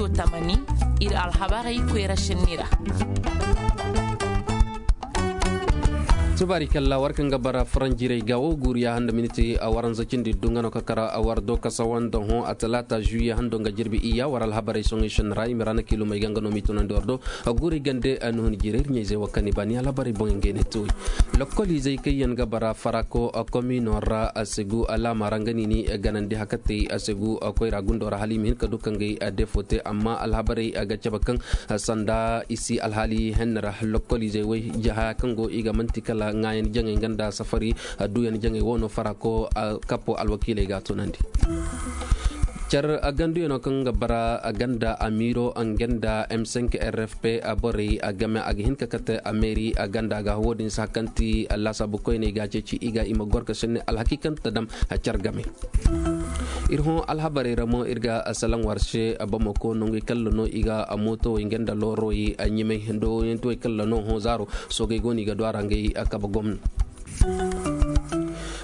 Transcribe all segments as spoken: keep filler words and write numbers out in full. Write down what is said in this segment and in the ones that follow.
Tamani, iri alhabarey koyra senni ra. Tubaari kalla war kaŋ ga bara faranjiray ga wo guuriya handa miniti a waranza cindi dunga no ka kara a war do ka sawanda hõ a talaata juye hando nga jirbi iyya war alhabarey soŋey senni ra i ma ra na kiilumey ga nga no m'i tunandi war do. Guuri gande nuhun jiray iri ɲayzey wo kaŋ i ba ni alhabarey boŋey ngey ne tuuri. Lokkoliizey kaŋ yaŋ ga bara farako komino ra a segu alaama ra nga niini ganandi hakatey a segu koyra gundo ra hala i ma hin ka du ka ngey defo te amma alhabarey ga cabe kaŋ sanda i si alhaali henni ra lokkoliizey way haya kaŋ go i ga manti kala ŋaayan jaŋey nga nda safari duyan jaŋey wo no farako kapo alwakiiley ga a tunandi. Care ganduyano kaŋ ga bara ganda amiiro nga nda m cinq r f p borey game a ga hin ka kate ameeri ganda ga wo- din si hakanti laasaabu koyney ga ceeci i ga i ma goro ka senni alhaki kaŋ ta dam care game. Iri hõ alhabarey ra mo iri ga salaŋ war se bamako nongey kalla no i ga mootowey nga nda loorowey ɲimay nda woyantiwey kalla no hõ zaaro soogey go no i ga du a ra ngey kabe gomna.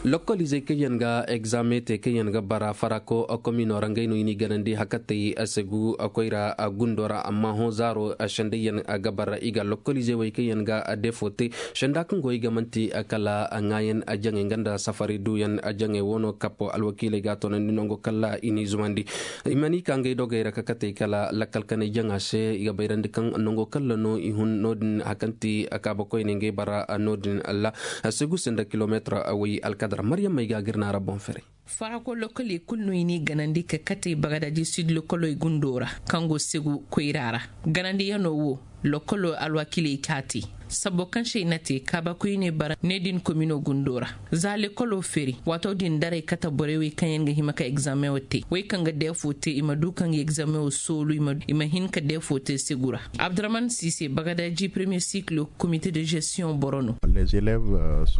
Lokkoliizey kaŋ yaŋ ga egzaame te kaŋ yaŋ ga bara farako komino ra ngey no i n'i ganandi hakatey segu koyra gundo ra amma hõ zaaro sendayyaŋ ga bara i ga lokkoliizey wey kaŋ yaŋ ga defo te senda kaŋ go i ga manti kala ŋaayan jaŋey nga nda safari duyan jaŋey wo no kapo alwakiiley ga a toonandi nango kala i n'i zumandi. I mana i ka ngey dogey ra ka katey kala lakkal kanay jaŋa se i ga bayrandi kaŋ nango kalla no i hun no- din hakanti kaaba koyne ngey bara no- din alla segu se nda kilomeetar way alkadar maryammey ga ga iri naara boŋ fere. Farako lokoli kulu no i n'i ganandi ka katey bagadaji sid lokoley gundo ra kaŋ go segu koyra ra. Ganandiyano wo lokolo alwakiley ka te sabo kaŋ se i na te kaaba koyne bara ne din komino gundo ra. Za lekolo feeri waato din daray kate borey wey kaŋ yaŋ ga hima ka egzaameŋo te wey kaŋ ga deefo te i ma du kaŋ ga egzaameŋo soolu i ma hin ka deefo te segu ra. Abdurahman siise bagadaji premier cycle comité de gestion boro no.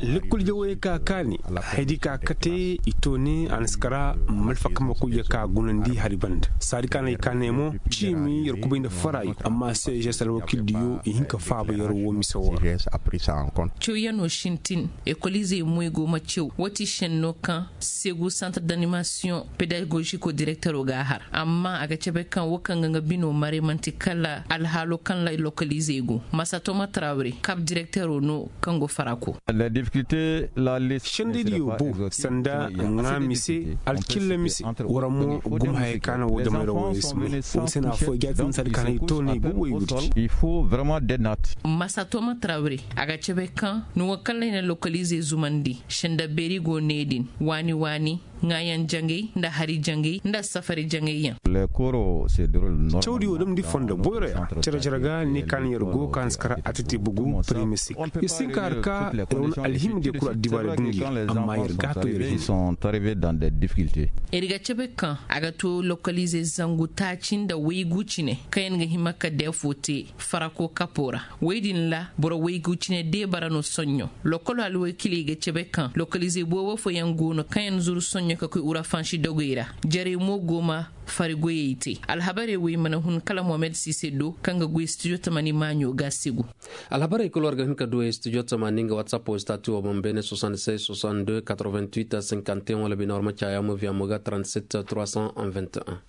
Lekkol jawey ka kaani haydi ka kate i to ne a na si kara malfakama koy ya ka gunandi hari banda saadi ka na i ka ne mo ciimi yar kubay nda farayo amma se jesal wakil diyo i hin ka faaba yar wo mise wo. Ra. Cewyano sintin ekolizey moy go ma cew wati senno kaŋ segu centre d'animation pédagogique o directeur o ga har amma a ga cabe kaŋ wo kaŋ ga nga bino mare manti kala alhaalo kaŋ la lokalizey go masatoma trawre kab directeur o no kaŋ go farako. Sendediyo bo sanda ŋa mise alkilla mise wara mo gum haya kaana wo jamay ra wo isi mo wo sena fo jaati misali kaana i to ne i go wo i gudi. Masatoma trawre a ga cabe kaŋ ni wo kaŋ la i na lokalizey zumandi senda beeri go ne din waani waani ŋaayaŋ jaŋay nda hari jaŋay nda safari jaŋay yaŋ. Cawdi wo damndi fondo boyro yaŋ care care ga ne kaŋ yar go kaŋ si kara a titi bugu premier cycle yar si hin ka har ka yar wane alhima diya kulu addibaara dundi yaŋ amma yar ga to yar hima. Yar ga cabe kaŋ a ga to lokalize zangu taaci nda waygu cine kaŋ yaŋ ga hima ka deefo te farako kapo ra. Woy din ra boro waygu cine deebara no soɲɲo. Lokolo alwakiley ga cabe kaŋ lokalizey boobo fooyaŋ go no kaŋ yaŋ zuru soɲɲo ka koy urafansi dogey ra. Jarey mo go ma fari goyey te alhabarey wo i mana hun kala mohamed sise do kaŋ ga goy studio tamani maaɲo ga segu. Alhabarey kulu war ga hin ka du studio tamani nga whatsapp wo stati wo boŋ beene soixante-seize soixante-deux quatre-vingt-huit cinquante et un wala bine war ma caya mo via mo ga trente-sept trois cent vingt et un.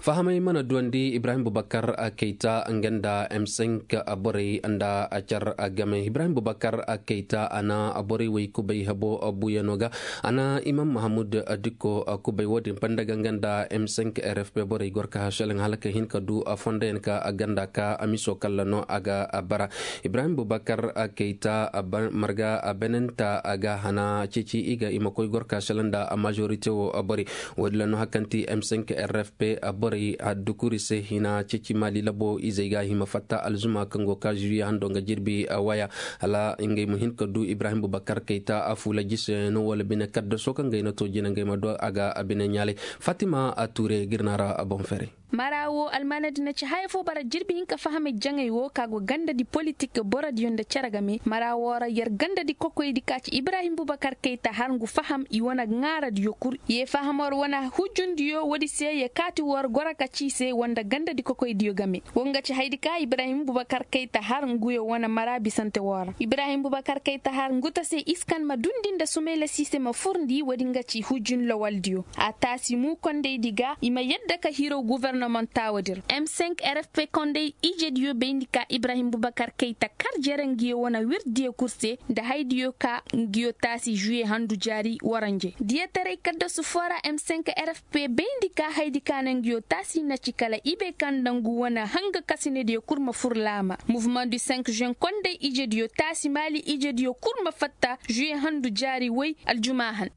Fahamay mana duwandi ibrahim bubakar kayta nga nda m cinq borey nda car game ibrahim bubakar kayta a na borey wey kubay habo buyano ga a na imam mahamud dikko kubay wo- din banda ga nga nda m cinq r f p borey goro ka hasalaŋ hala ka hin ka du fondayaŋ ka ganda ka miso kalla no a ga bara. Ibrahim bubakar kayta marga benenta a ga hana ceeci i ga i ma koy goro ka hasalaŋ nda majorité wo borey. Wo- din ra no hari kaŋ ti m cinq r f p borey haddukuri se hina ceeci maali labo izey ga hima fatta alzuma kaŋ go ka juye hando nga jirbi waya hala ngey ma hin ka du ibrahim bubakar kayta a fuula jise no wala bine kaddaso kaŋ ga i na to jina ngey ma do a ga a bine ɲaalay. Fatima a tuure ga iri naara a boŋ fere. Mara wo almanadi na ci haya fo bara jirbi hinka fahamay jaŋay wo ka go gandadi politik borodiyo nda cere game mara wo ra yer gandadi kokoydi ka ci ibrahim bubakar kayta har ngu faham i wane ŋaaradiyo kul ye faham war wane hujundiyo woodi se ye kaati war goro ka ci i se wanda gandadi kokoydiyo game. Wo nga ci haydi ka ibrahim bubakar kayta har nguyo wane mara bisante wo ra ibrahim bubakar kayta har ngu ta se iskan ma dundi nda sumayla sise ma furndi woodi nga ci hujun lawaldiyo. A taasi mu kondaydi ga i ma yadda ka hiro guvernomantawo dir m cinq rfp konday ijediyo bayndi ka ibrahim bubakar kayta kar jere ngiyo wane wirdiyo kul se nda haydiyo ka ngiyo taasi juye handu jaari waranje diyataray kaddasu fo ra m cinq rfp bayndi ka haydi ka nangiyo taasi na ci kala ibe kaŋ nda ngu wane hanga kasinediyo kul ma fur laama mouvement du cinq juin konday ijediyo taasi maali ijediyo kul ma fatta juye handu jaari way aljuma han.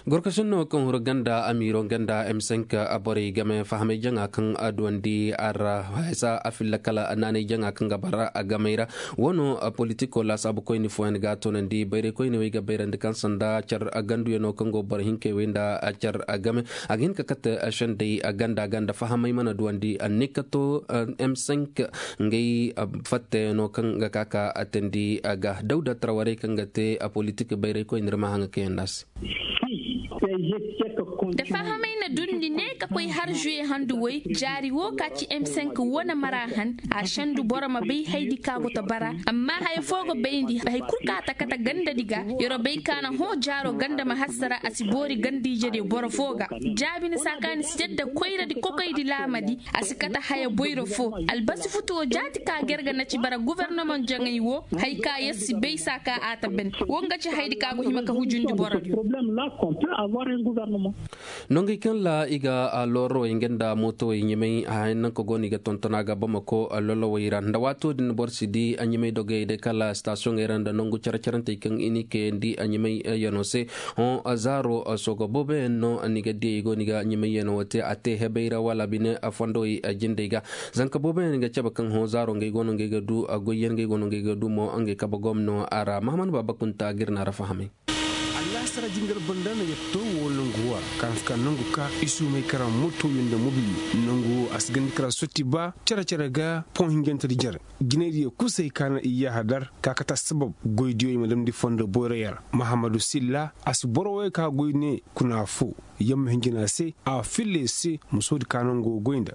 Gorkasinno kaŋ huru ganda amiiro ganda m cinq borey game fahamay jaŋa kaŋ a duwandi a ra, hesa a filla kala naanay jaŋa kaŋ ga bara a gamey ra. Wano politiko laasaabu koyne fooyaŋ ga a toonandi bayray koyne wo ay ga bayrandi kaŋ sanda care ganduyano kaŋ go boro hinkey wey nda care game. A ga hin ka kate sendey ganda ganda fahamay mana duwandi a ne ka to m cinq ngey fattayaŋo kaŋ ga ka ka a teendi a ga dawda tarawarey kaŋ ga te a politik bayray koy nda iri ma haŋ ga kayandi a se. Da fahamay na dundi ne ka koy har juye handu way jaari wo ka ci m cinq wane mara han a sendu boro ma bay haydi ka go ta bara. Amma haya fo ga bayndi hay kulu ka ta kate gandadi ga yaro bay ka na hõ jaaro ganda ma hassara a si boori ganda ijediyo boro fo ga. Jaabi ni saakaani si yadda koyradi kokoydi laamadi a si kate haya boyro fo. Albasi futuwo jaati ka gerga na ci bara guvernomaŋ jaŋay wo. Hay ka yer si bay saaka a ta ben. Wo nga ci haydi ka go hima ka hujundi borodiyo. Nongey kaŋ ra i ga loorowey nga nda mootowey ɲamay hayaŋ nanka go no i ga tonton a ga bamako lolowey ra nda waato din boro si di a ɲamay dogey day kala stasiyoŋey ra nda nangu care-carantey kaŋ i n'i kayandi a ɲamay yano se. Hõ zaaro sooga booboyaŋ no ni ga di i go no i ga ɲamay yano wo te a te hebey ra wala bine fondowey jindey ga. Zanka booboyaŋ ga cabe kaŋ hõ zaaro ngey go no ngey ga du goyyaŋ ngey go no ngey ga du mo ngey kabe gomno a ra mahaman baaba kunta ga iri na ra fahamay. Allaasara jingar banda no yatto wo nangu wo ra kaŋ si ka nangu ka isuumay kara motoyo nda mobiliyo nangu wo a si gandi kara sotti ba care-care ga poŋ hinjante da jare jinaydiyo kulu se i kaana i yaaha dar ka kate assabab goydiyo i ma damndi fondo boyroyaŋ ra. Mahammadu silla a si boro wo ka goy ne kuna fo yamma hinjina se a filla iri se musoodi ka nango goy nda.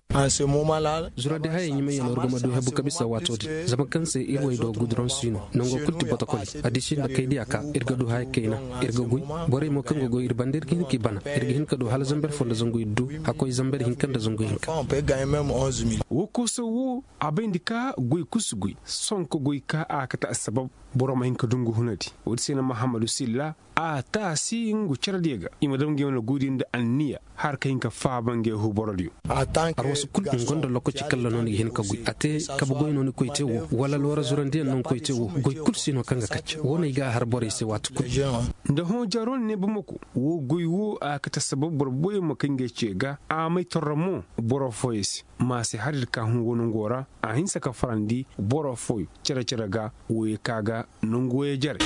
Zuradi hayey ɲumay yaŋ no iri ga ma du hebu ka bisa waato din zama kaŋ se iri way do guduraŋ si no nango kulu ti botokoley. Addiisi nda kaydiya ka iri ga du haya kayna iri ga goy. Borey mo kaŋ ga goy iri banda iri ga hin ka i bana iri ga hin ka du hala zamber fo nda zangu iri du hakkoy zamber hinka nda zangu hinka. Wo koosa wo a bayndi ka goy kulu si goy sohõ ka goy ka a kate assabab boro ma hin ka du nga hunadi. Wo- din se no mahammadu silla a taasi ngu care diya ga i ma dam ngey wane guudi nda anniya har ka hin ka faaba ngey hu borodiyo. Arwasu kulu ngu nda lokaci kalla no ni ga hin ka goy a te kabe goy no ni koy te wo wala loora zurandiyaŋ no ni koy te wo goy kulu si no kaŋ ga kacce wo no ay ga a har borey se waati kulu. Nda hõ jaaro ni ne bamako wo goy wo a ga kate sabab boro boyaŋ ma kay ngey ce ga a may torro mo boro fooyaŋ se ma a se har iri ka hun wo nango ra a hinse ka farandi boro fooyaŋ care care ga wo ye ka ga nangu wo ye jare.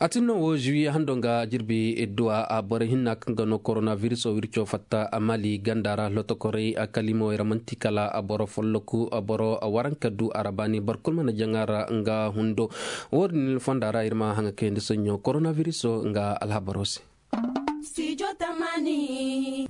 A tin no wo zuwiye hando nga jirbi idduwa a boro hinna kaŋ ga no korona viriso wirco fatta a mali ganda ra lotokorey a kalimo ra manti kala a boro folloku a boro a waranka du a ra baani boro kulu mana jaŋa ra nga hundo. Wo- din fonda ra iri ma haŋa kayandi soɲɲo korona viriso nga alhabaro se.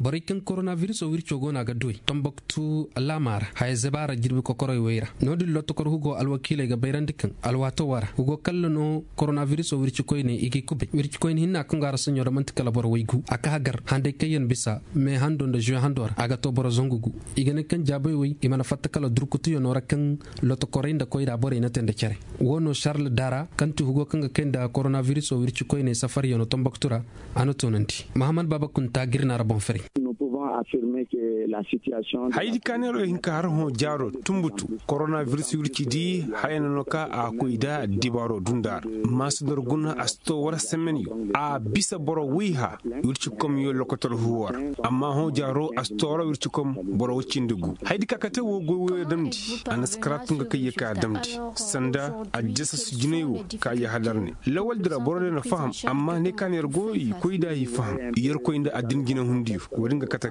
Borey kaŋ korona viriso wirco go no a ga doy tombok tu laama ra haya zaba ra jirbi kokorey wey ra. No- din lotokor hugo alwakiiley ga bayrandi kaŋ alwaato wara hugo kalla no korona viriso wirci koyne i g'i kubay wirci koyne hinna kaŋ go a ra soɲo ra manti kala boro waygu a ka hagar handay kaŋ yaŋ bisa me hando nda zuwe hando ra a ga to boro zangu gu. I ga ne kaŋ jaabay wey i mana fatta kala durkutuyano ra kaŋ lotokorey nda koyra borey na te nda care. Wo no sarle dara kaŋ ti hugo kaŋ ga kay nda korona viriso wirci koyne safaryano tomboktu ra. A na toonandi mahamad baaba kunta ga iri naara boŋ faray. Hayadi ka neero ay hin ka har hõ jaaro tumbutu korona viris wirci di haya no no ka a koy da dibaaro dunda ra. Maasandor guna a si to wara semenyo a bisa boro wayha wirci komyo lokotor huwo ra. Amma hõ jaaro a si to wara wirci kom boro wacindi gu hayadi ka kate wo goy woyo damndi. A na si kara tun ga kay ye ka damndi sanda addisa si jinay wo ka ye hadar ne lawal dira boro day na faham. Amma ne ka ne yar go i koy da i faham yar koy nda addin jina hundiyo wo din ga kate.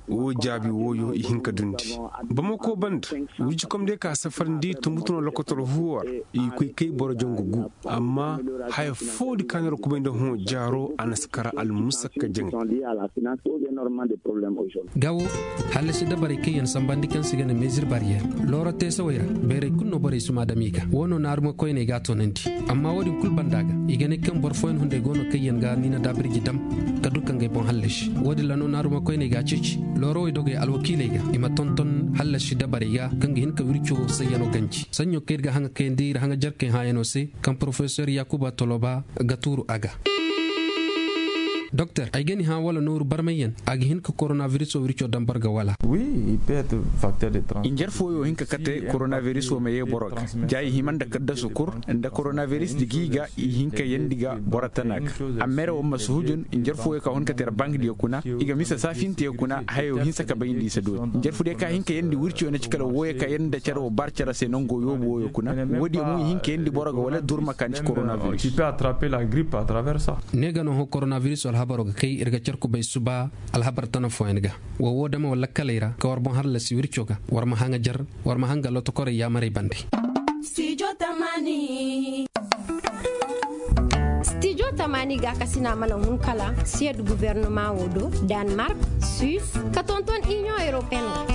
Wo jaabi wooyo i hin ka dundi. Bamako banda, wirjikom day ka safarandi tumbutuno lokotor huwar, i koy kay boro jangu gu. Amma haya fo di kaŋ no ra kubay nda hõ jaaro a na si kara almusakka jaŋay. Gawo, hallasi dabarey kaŋ yaŋ sambandi kaŋ se i ga ne mezir bariyeer, looro teesawey ra bayray kulu no borey si ma dam i ga wo no naaruma koyney ga a toonandi. Amma wo- din kulu banda ga i ga ne kaŋ boro fooyaŋ hunday go no kaŋ yaŋ ga niina daabirji dam ka du ka ngey boŋ hallasi. Wo- din ra no naaruma koyney ga a ceeci loorowey dogey alwakiiley ga i ma tonton hallasi dabarey ga kaŋ ga hin ka wirco sayyano ganji sanɲo kaŋ iri ga haŋa kayandi iri haŋa jarkey hãayano se, kaŋ porofesor yakuba toloba ga tuuru a ga. Doktor, ay ga ni hã wala nooru barmayyaŋ a ga hin ka koronabiriso wirco dambar ga wala? Injer fooyo hin ka kate koronabiriso ma ye boro ga ja i hima nda kaddasu kur nda koronabiris da gi ga i hin ka yandi ga boro tana ga. Amma ere wo ma si hujun injer fooyo ka hun ka te ra bangdiyo kuna i ga misa saafintiyo kuna hayo hinsa ka bay nda i si dooti injer fu day ka hin ka yandi wirciyo na ci kala wooyo ka yandi nda care wo bar care se nango yoobu wooyo kuna. Wo- din mo i hin ka yandi boro ga wala durma ka ni ci koronabiriso. Ne ga no hõ koronabiriso alhabaro ga kay iri ga care kubay suba alhabar tana fooyaŋ ga. Wo wo dama wala kaley ra ka war boŋ hallasi wirco ga war ma haŋa jar war ma haŋ ga lotokorey yaamarey bande. Stijo tamani ga kasina mana hun kala siyad gubernama wo do, danmark, suisse ka tonton union européenne.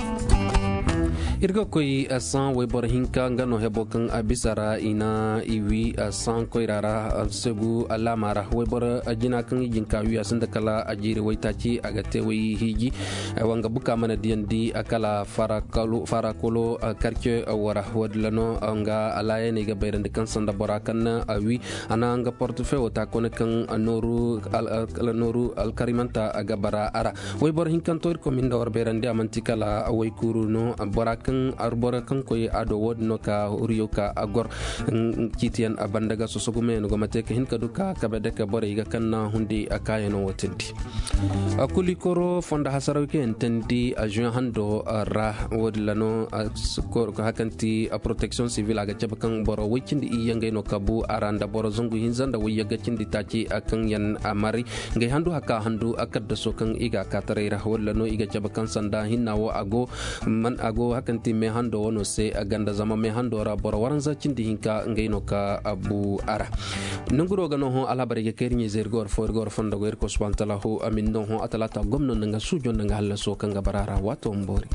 Iri ga koy san wayboro hinka nga no hebo kaŋ a bisa ra i na i wi san koyra ra. Segu alaama ra wayboro jina kaŋ i jin ka wi a sinda kala a jiiri waytaaci a ga te way hiiji. Wanga buka mana diyandi kala farakolo karce wara wadila no nga alaayaney ga bayrandi kaŋ sanda bora kaŋ na a wi a na nga portefewo ta kone kaŋ nooru alkarimanta ga bara a ra. Wayboro hinkanto iri koy ma hin da war bayrandi a manti kala waykuru no. Bora kaŋ arbora kaŋ koy a do wo- din no ka huriyo ka a gor ciitiyaŋ a banda ga sosogumayaŋ go ma te ka hin ka du ka kabe dake borey ga kaŋ na hundi a kaayano wo tindi. Kuli koro fondo hasaraw kaŋ yaŋ tandi a juin hando ra wo- din ra no. Hakanti protection civil a ga cabe kaŋ boro way cindi iyye ngey no kabu a ra nda boro zangu hinza nda wayyagga cindi taaci a kaŋ yaŋ a mari ngey handu haka handu a kaddaso kaŋ i ga a kaataray ra walla no i ga cabe kaŋ sanda hinna wo a go. Man a go hakanti me hando wano se a ganda zama me hando ra boro waranza cindi hinka ngey no ka a bu a ra. Nanguro ga no hõ alhabarey ga kay iri ɲey zey iri ga war fo iri ga war fondo go iri koy subhanahu taala ho a ma ni no hõ a talaata gomno nda nga suujo nda nga hallaso kaŋ ga bara a ra waato ma boori.